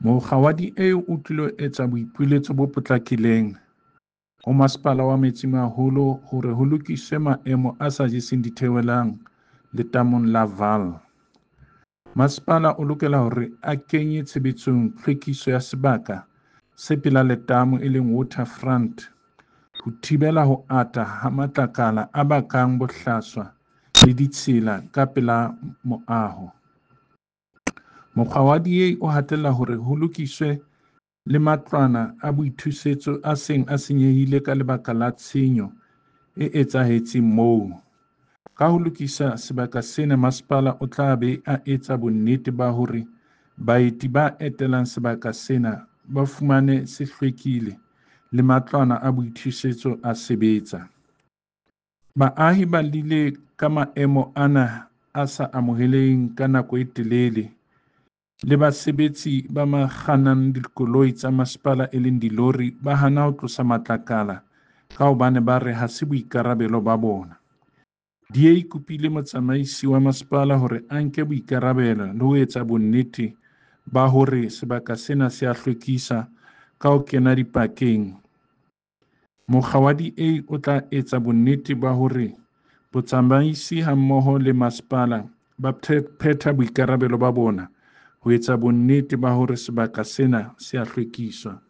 Mokga wa DA o tlilo etsa boipiletso bo potlakileng ho Masepala wa Metsimaholo hore ho lokiswe maemo a sa jeseng ditheohelang letamong la Vaal. Masepala o lokela hore a kenye tshebetsong tlhwekiso ya sebaka se pela letamo e leng waterfront ho thibela ho ata ha matlakala a bakang bohlaswa le ditshila ka pela moaho. Mokga wa DA o hatella hore ho lokiswe le matlwana a boithusetso a seng a senyehile ka lebaka la tshenyo e etsahetseng moo. Ka ho lokisa sebaka sena, masepala o tla be a etsa bonnete ba hore baeti ba etelang sebaka sena ba fumane se hlwekile le matlwana a boithusetso a sebetsa. Baahi ba llile ka maemo ana a sa amoheleheng ka nako e telele le basebetsi ba kgannang dikoloi tsa masepala e leng dilori ba hana ho tlosa matlakala ka hobane ba re ha se boikarabelo ba bona. DA e kopile motsamaisi wa masepala hore a nke boikarabelo le ho etsa bonnete ba hore sebaka sena se a hlwekisa ka ho kena dipakeng. Mokga wa DA o tla etsa bonnete ba hore botsamaisi hammoho le masepala ba phetha boikarabelo ba bona ho etsa bonnete ba hore sebaka sena se a hlwekiswa.